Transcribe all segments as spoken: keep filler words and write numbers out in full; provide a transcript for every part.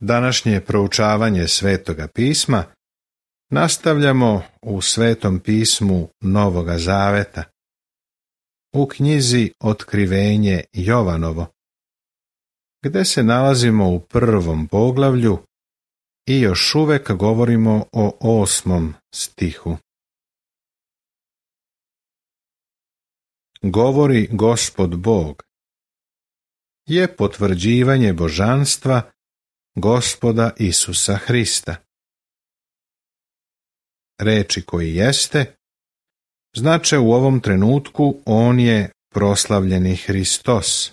Današnje proučavanje Svetoga pisma nastavljamo u Svetom pismu Novoga Zaveta, u knjizi Otkrivenje Jovanovo, gde se nalazimo u prvom poglavlju i još uvek govorimo o osmom stihu. Govori Gospod Bog je potvrđivanje božanstva Gospoda Isusa Hrista. Reči koji jeste znače u ovom trenutku on je proslavljeni Hristos.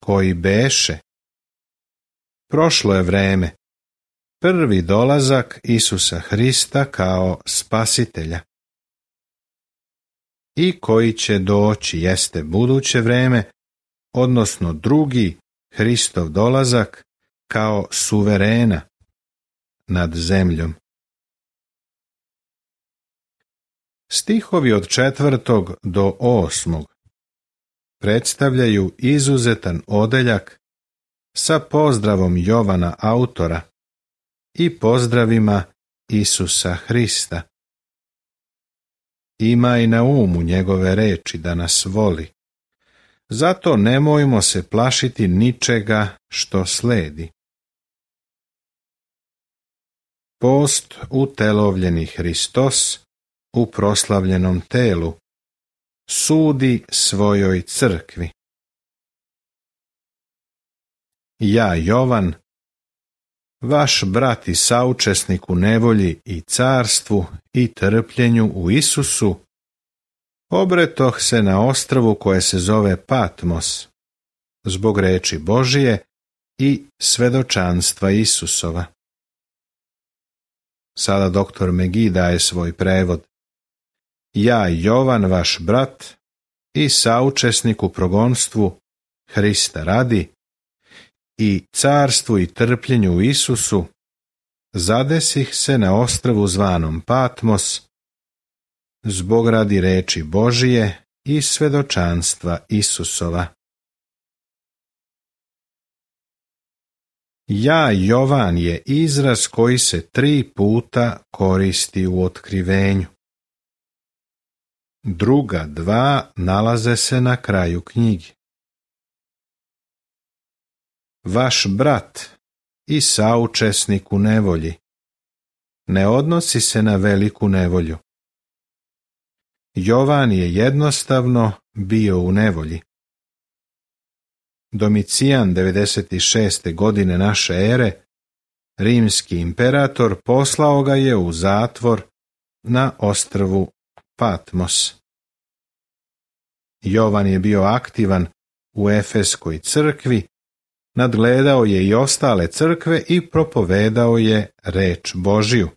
Koji beše. Prošlo je vreme. Prvi dolazak Isusa Hrista kao spasitelja. I koji će doći jeste buduće vreme, odnosno drugi Hristov dolazak kao suverena nad zemljom. Stihovi od četvrtog do osmog predstavljaju izuzetan odeljak sa pozdravom Jovana autora i pozdravima Isusa Hrista. Imaj na umu njegove reči da nas voli. Zato nemojmo se plašiti ničega što sledi. Post utelovljeni Hristos u proslavljenom telu sudi svojoj crkvi. Ja, Jovan, vaš brat i saučesnik u nevolji i carstvu i trpljenju u Isusu, obretoh se na ostrvu koje se zove Patmos, zbog reči Božije i svedočanstva Isusova. Sada doktor Megi daje svoj prevod. Ja, Jovan, vaš brat i saučesnik u progonstvu Hrista radi i carstvu i trpljenju u Isusu, zadesih se na ostrvu zvanom Patmos, zbog radi reči Božije i svedočanstva Isusova. Ja, Jovan je izraz koji se tri puta koristi u Otkrivenju. Druga dva nalaze se na kraju knjige. Vaš brat i saučesnik u nevolji ne odnosi se na veliku nevolju. Jovan je jednostavno bio u nevolji. Domicijan devedeset šeste godine naše ere, rimski imperator, poslao ga je u zatvor na ostrvu Patmos. Jovan je bio aktivan u Efeskoj crkvi, nadgledao je i ostale crkve i propovedao je reč Božiju.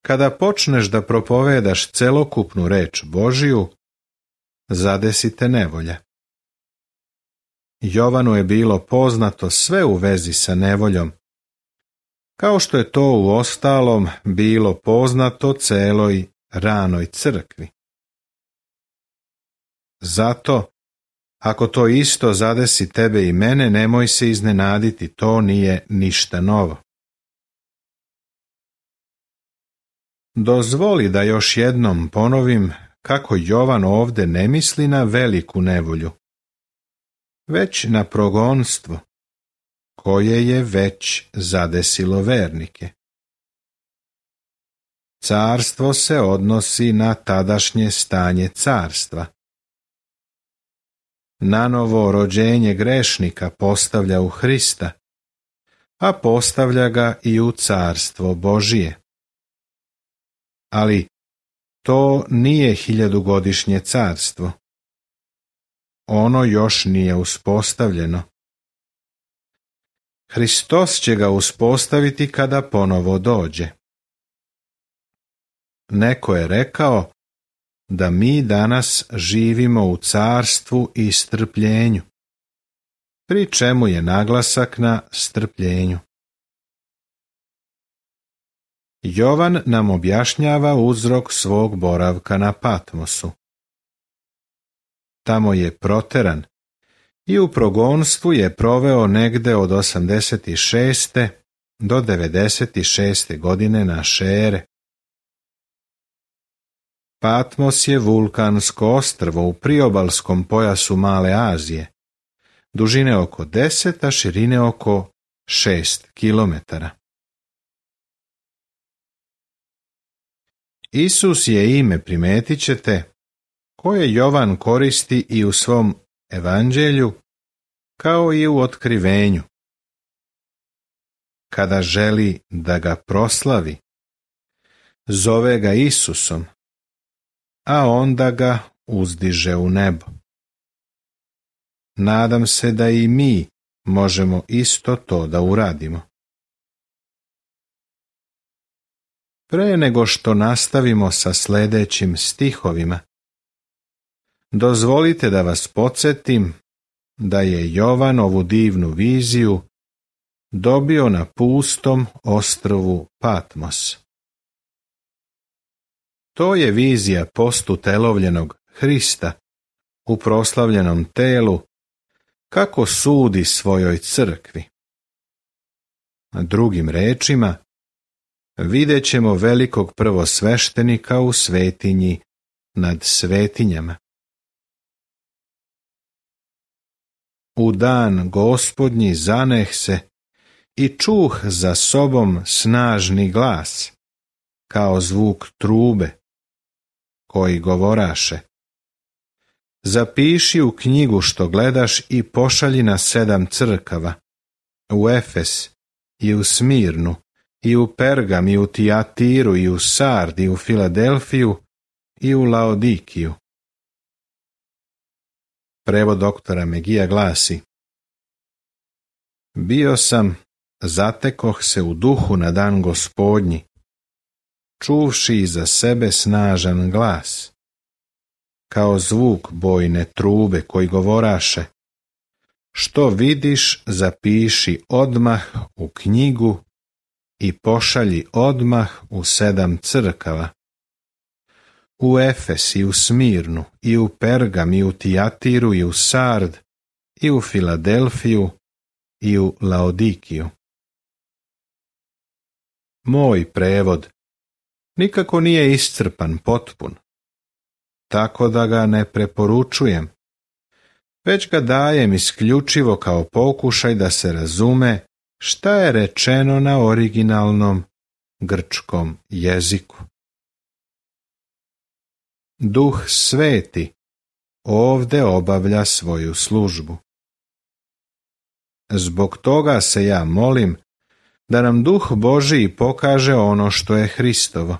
Kada počneš da propovedaš celokupnu reč Božiju, zadesite nevolja. Jovanu je bilo poznato sve u vezi sa nevoljom, kao što je to u ostalom bilo poznato celoj ranoj crkvi. Zato, ako to isto zadesi tebe i mene, nemoj se iznenaditi, to nije ništa novo. Dozvoli da još jednom ponovim kako Jovan ovde ne misli na veliku nevolju, već na progonstvo, koje je već zadesilo vernike. Carstvo se odnosi na tadašnje stanje carstva. Nanovo rođenje grešnika postavlja u Hrista, a postavlja ga i u carstvo Božije. Ali to nije hiljadugodišnje carstvo. Ono još nije uspostavljeno. Hristos će ga uspostaviti kada ponovo dođe. Neko je rekao da mi danas živimo u carstvu i strpljenju, pri čemu je naglasak na strpljenju. Jovan nam objašnjava uzrok svog boravka na Patmosu. Tamo je proteran i u progonstvu je proveo negde od osamdeset šeste do devedeset šeste godine naše ere. Patmos je vulkansko ostrvo u priobalskom pojasu Male Azije, dužine oko deset, a širine oko šest kilometara. Isus je ime, primetit ćete, koje Jovan koristi i u svom evanđelju, kao i u otkrivenju. Kada želi da ga proslavi, zove ga Isusom, a onda ga uzdiže u nebo. Nadam se da i mi možemo isto to da uradimo. Pre nego što nastavimo sa sljedećim stihovima, dozvolite da vas podsjetim da je Jovan ovu divnu viziju dobio na pustom ostrvu Patmos. To je vizija postutelovljenog Hrista u proslavljenom telu, kako sudi svojoj crkvi. Drugim rečima, vidjet ćemo velikog prvosveštenika u svetinji nad svetinjama. U dan Gospodnji zaneh se i čuh za sobom snažni glas, kao zvuk trube, koji govoraše: zapiši u knjigu što gledaš i pošalji na sedam crkava, u Efes i u Smirnu, i u Pergam, i u Tijatiru, i u Sard, i u Filadelfiju, i u Laodikiju. Prevod doktora Megija glasi: bio sam, zatekoh se u duhu na dan Gospodnji, čuvši iza sebe snažan glas, kao zvuk bojne trube, koji govoraše: što vidiš, zapiši odmah u knjigu i pošalji odmah u sedam crkava, u Efes, i u Smirnu, i u Pergam, i u Tijatiru, i u Sard, i u Filadelfiju, i u Laodikiju. Moj prevod nikako nije iscrpan, potpun, tako da ga ne preporučujem, već ga dajem isključivo kao pokušaj da se razume šta je rečeno na originalnom grčkom jeziku. Duh Sveti ovde obavlja svoju službu. Zbog toga se ja molim da nam Duh Božiji pokaže ono što je Hristovo.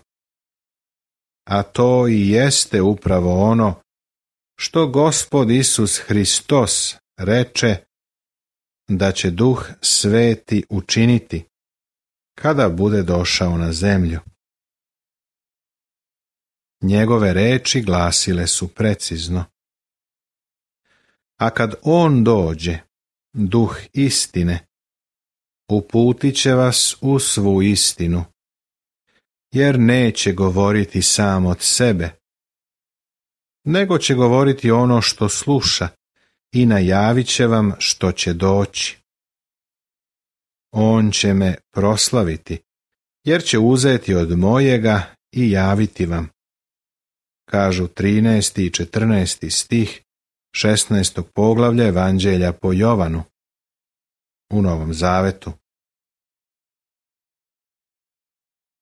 A to i jeste upravo ono što Gospod Isus Hristos reče da će Duh Sveti učiniti kada bude došao na zemlju. Njegove reči glasile su precizno: a kad on dođe, Duh istine, uputit će vas u svu istinu, jer neće govoriti sam od sebe, nego će govoriti ono što sluša i najavit će vam što će doći. On će me proslaviti, jer će uzeti od mojega i javiti vam, kažu trinaesti i četrnaesti stih šesnaestog poglavlja Evanđelja po Jovanu u Novom Zavetu.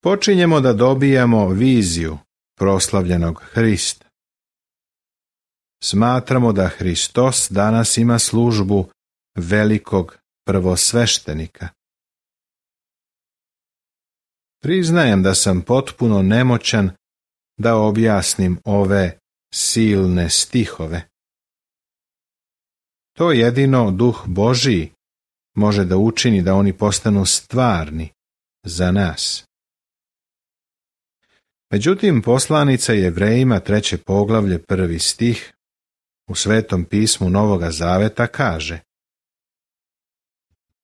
Počinjemo da dobijamo viziju proslavljenog Hrista. Smatramo da Hristos danas ima službu velikog prvosveštenika. Priznajem da sam potpuno nemoćan da objasnim ove silne stihove. To jedino Duh Božiji može da učini da oni postanu stvarni za nas. Međutim, poslanica Jevrejima, treće poglavlje, prvi stih, u Svetom pismu Novoga Zaveta kaže: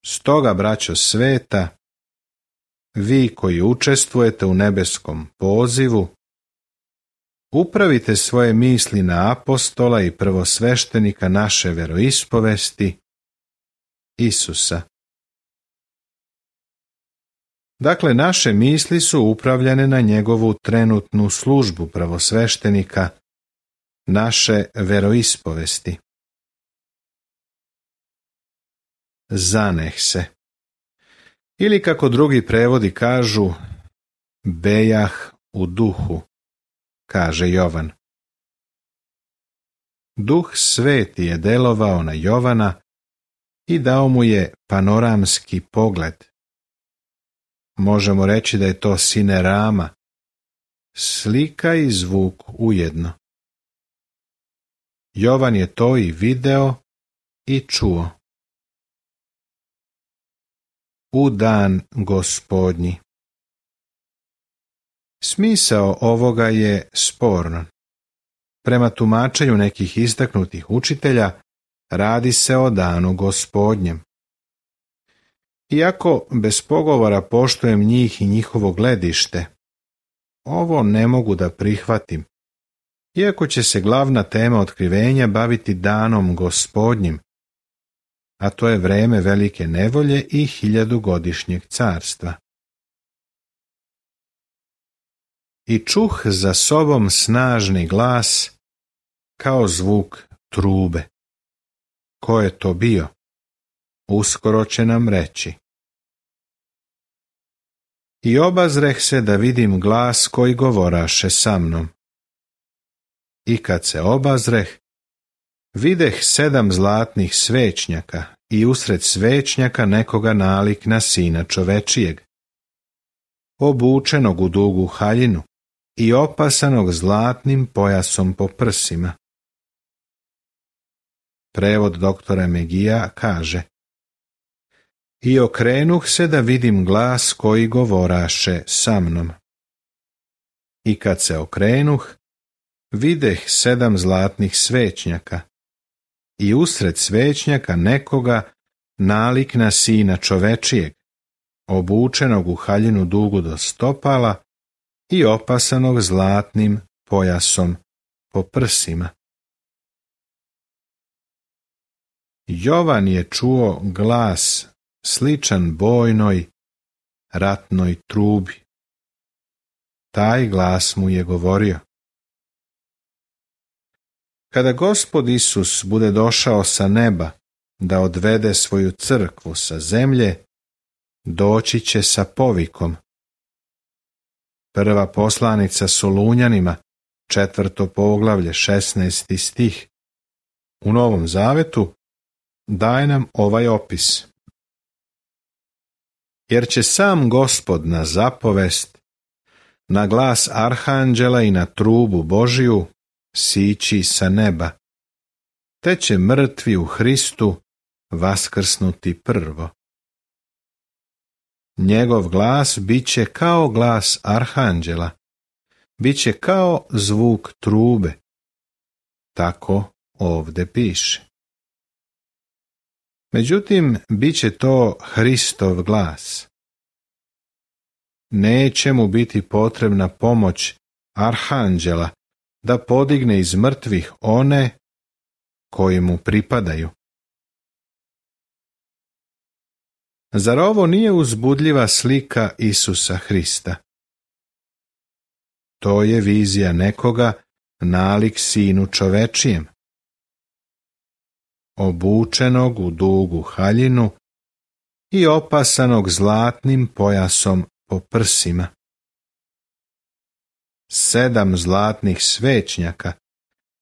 stoga, braćo sveta, vi koji učestvujete u nebeskom pozivu, upravite svoje misli na apostola i prvosveštenika naše veroispovesti, Isusa. Dakle, naše misli su upravljane na njegovu trenutnu službu prvosveštenika, naše veroispovesti. Zaneh se. Ili kako drugi prevodi kažu, bejah u duhu, kaže Jovan. Duh Sveti je delovao na Jovana i dao mu je panoramski pogled. Možemo reći da je to sinerama, slika i zvuk ujedno. Jovan je to i video i čuo. U dan Gospodnji. Smisao ovoga je sporan. Prema tumačenju nekih istaknutih učitelja, radi se o danu Gospodnjem. Iako bez pogovora poštujem njih i njihovo gledište, ovo ne mogu da prihvatim, iako će se glavna tema otkrivenja baviti danom Gospodnjim, a to je vreme velike nevolje i hiljadugodišnjeg carstva. I čuh za sobom snažni glas kao zvuk trube. Ko je to bio? Uskoro će nam reći. I obazreh se da vidim glas koji govoraše sa mnom. I kad se obazreh, videh sedam zlatnih svećnjaka i usred svećnjaka nekoga nalik na sina čovečijeg, obučenog u dugu haljinu i opasanog zlatnim pojasom po prsima. Prevod doktora Megija kaže: I okrenuh se da vidim glas koji govoraše sa mnom. I kad se okrenuh, videh sedam zlatnih svećnjaka i usred svećnjaka nekoga nalik na sina čovečijeg, obučenog u haljinu dugu do stopala i opasanog zlatnim pojasom po prsima. Jovan je čuo glas sličan bojnoj, ratnoj trubi. Taj glas mu je govorio: Kada Gospod Isus bude došao sa neba da odvede svoju crkvu sa zemlje, doći će sa povikom. Prva poslanica Solunjanima, četvrto poglavlje, šesnaesti stih. U Novom Zavetu daje nam ovaj opis. Jer će sam Gospod na zapovest, na glas arhanđela i na trubu Božiju sići sa neba, te će mrtvi u Hristu vaskrsnuti prvo. Njegov glas bit će kao glas arhanđela, bit će kao zvuk trube. Tako ovde piše. Međutim, bit će to Hristov glas. Neće mu biti potrebna pomoć arhanđela da podigne iz mrtvih one koji mu pripadaju. Zar ovo nije uzbudljiva slika Isusa Hrista? To je vizija nekoga nalik sinu čovečijem, obučenog u dugu haljinu i opasanog zlatnim pojasom po prsima. Sedam zlatnih svećnjaka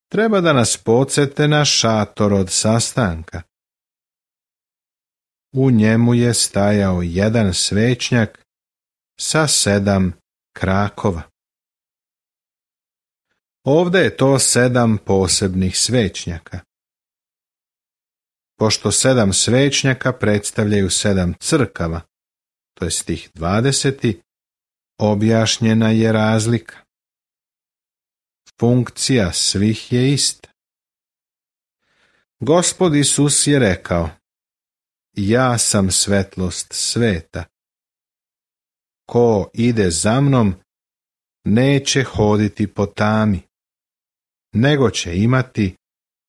treba da nas podsete na šator od sastanka. U njemu je stajao jedan svećnjak sa sedam krakova. Ovde je to sedam posebnih svećnjaka. Pošto sedam svećnjaka predstavljaju sedam crkava, to je stih dvadeseti, objašnjena je razlika. Funkcija svih je ista. Gospod Isus je rekao: Ja sam svetlost sveta. Ko ide za mnom, neće hoditi po tami, nego će imati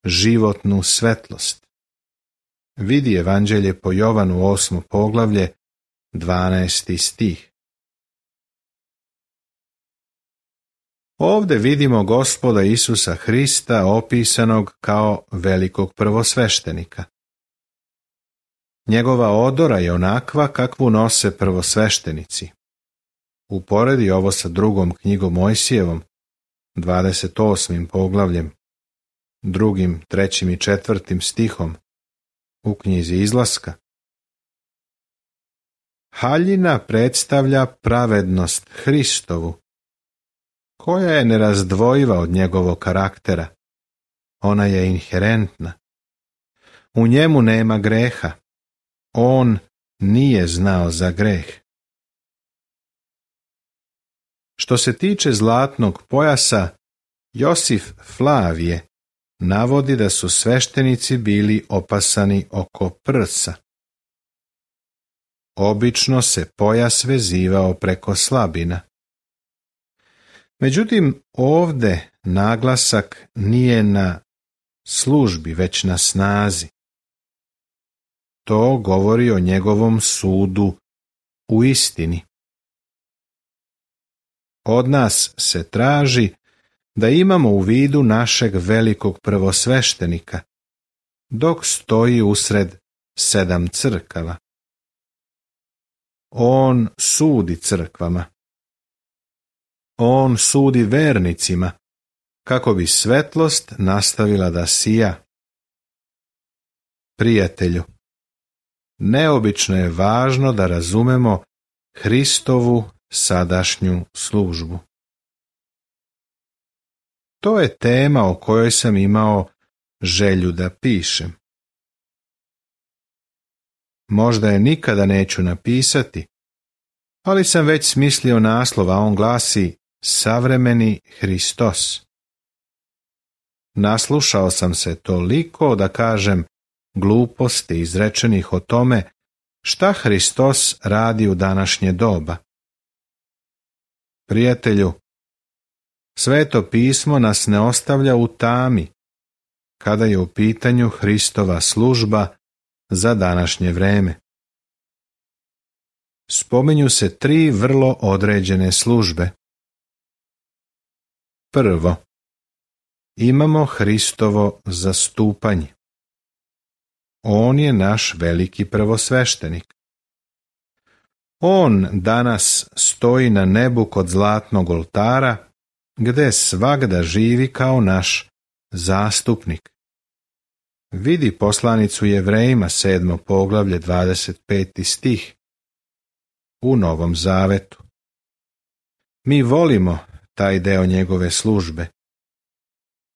životnu svetlost. Vidi Evanđelje po Jovanu osmo poglavlje, dvanaesti stih. Ovdje vidimo Gospoda Isusa Hrista opisanog kao velikog prvosveštenika. Njegova odora je onakva kakvu nose prvosveštenici. Uporedi ovo sa drugom knjigom Mojsijevom, dvadeset osmim poglavljem, drugim, trećim i četvrtim stihom u knjizi Izlaska. Haljina predstavlja pravednost Hristovu, koja je nerazdvojiva od njegovog karaktera. Ona je inherentna. U njemu nema greha. On nije znao za greh. Što se tiče zlatnog pojasa, Josif Flavije navodi da su sveštenici bili opasani oko prsa. Obično se pojas vezivao preko slabina. Međutim, ovdje naglasak nije na službi, već na snazi. To govori o njegovom sudu u istini. Od nas se traži da imamo u vidu našeg velikog prvosveštenika, dok stoji usred sedam crkava. On sudi crkvama. On sudi vernicima, kako bi svetlost nastavila da sija. Prijatelju, neobično je važno da razumemo Hristovu sadašnju službu. To je tema o kojoj sam imao želju da pišem. Možda je nikada neću napisati, ali sam već smislio naslov, a on glasi Savremeni Hristos. Naslušao sam se toliko da kažem gluposti izrečenih o tome šta Hristos radi u današnje doba. Prijatelju, Sveto pismo nas ne ostavlja u tami kada je u pitanju Hristova služba za današnje vreme. Spominju se tri vrlo određene službe. Prvo, imamo Hristovo zastupanje. On je naš veliki prvosveštenik. On danas stoji na nebu kod zlatnog oltara, gde svagda živi kao naš zastupnik. Vidi poslanicu Jevrejima sedmo poglavlje dvadeset peti stih u Novom Zavetu. Mi volimo taj deo njegove službe.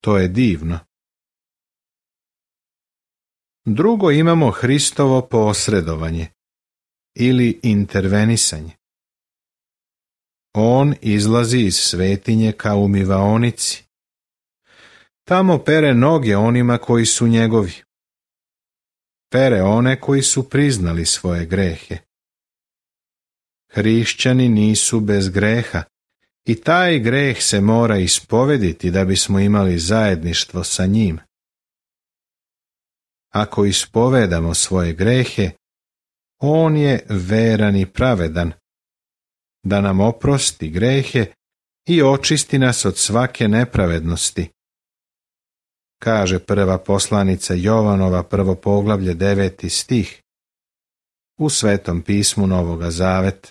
To je divno. Drugo, imamo Hristovo posredovanje ili intervenisanje. On izlazi iz svetinje kao umivaonici. Tamo pere noge onima koji su njegovi. Pere one koji su priznali svoje grehe. Hrišćani nisu bez greha i taj greh se mora ispovediti da bismo imali zajedništvo sa njim. Ako ispovedamo svoje grehe, on je veran i pravedan, da nam oprosti grehe i očisti nas od svake nepravednosti. Kaže prva poslanica Jovanova, prvo poglavlje, deveti stih, u Svetom pismu Novoga Zaveta.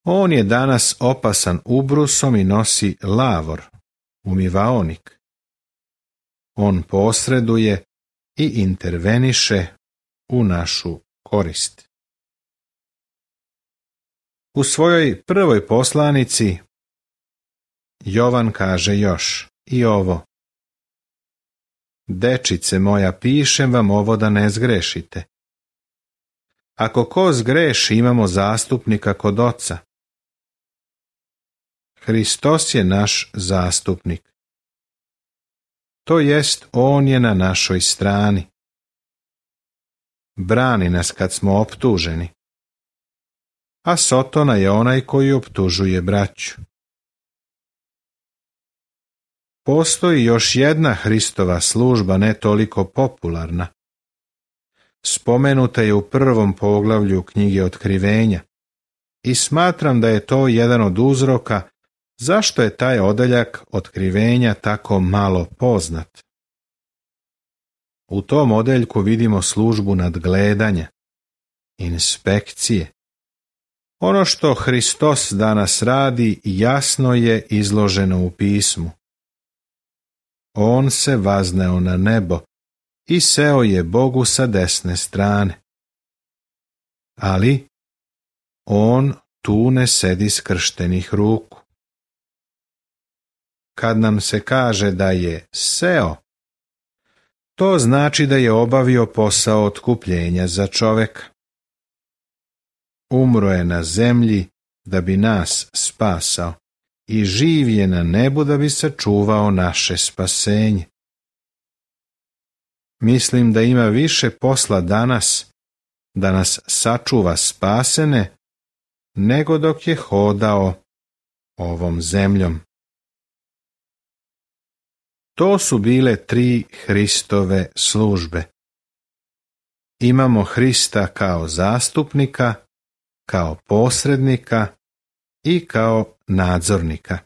On je danas opasan ubrusom i nosi lavor, umivaonik. On posreduje i interveniše u našu korist. U svojoj prvoj poslanici Jovan kaže još i ovo: Dečice moja, pišem vam ovo da ne zgrešite. Ako ko zgreši, imamo zastupnika kod Oca. Hristos je naš zastupnik. To jest, on je na našoj strani. Brani nas kad smo optuženi. A Sotona je onaj koji optužuje braću. postoji još jedna Hristova služba ne toliko popularna. Spomenuta je u prvom poglavlju knjige Otkrivenja i smatram da je to jedan od uzroka zašto je taj odeljak Otkrivenja tako malo poznat. U tom odeljku vidimo službu nadgledanja, inspekcije. Ono što Hristos danas radi jasno je izloženo u pismu. On se vazneo na nebo i seo je Bogu sa desne strane. Ali on tu ne sedi skrštenih ruku. Kad nam se kaže da je seo, to znači da je obavio posao otkupljenja za čoveka. Umro je na zemlji da bi nas spasao i živ je na nebu da bi sačuvao naše spasenje. Mislim da ima više posla danas da nas sačuva spasene nego dok je hodao ovom zemljom. To su bile tri Hristove službe. Imamo Hrista kao zastupnika, kao posrednika i kao nadzornika.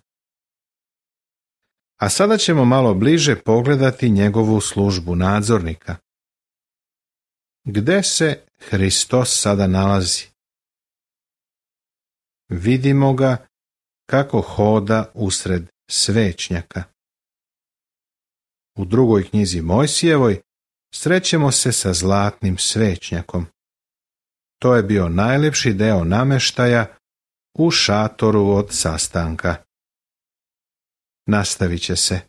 A sada ćemo malo bliže pogledati njegovu službu nadzornika. Gde se Hristos sada nalazi? Vidimo ga kako hoda usred svećnjaka. U drugoj knjizi Mojsijevoj srećemo se sa zlatnim svećnjakom. To je bio najlepši deo nameštaja u šatoru od sastanka. Nastavit će se.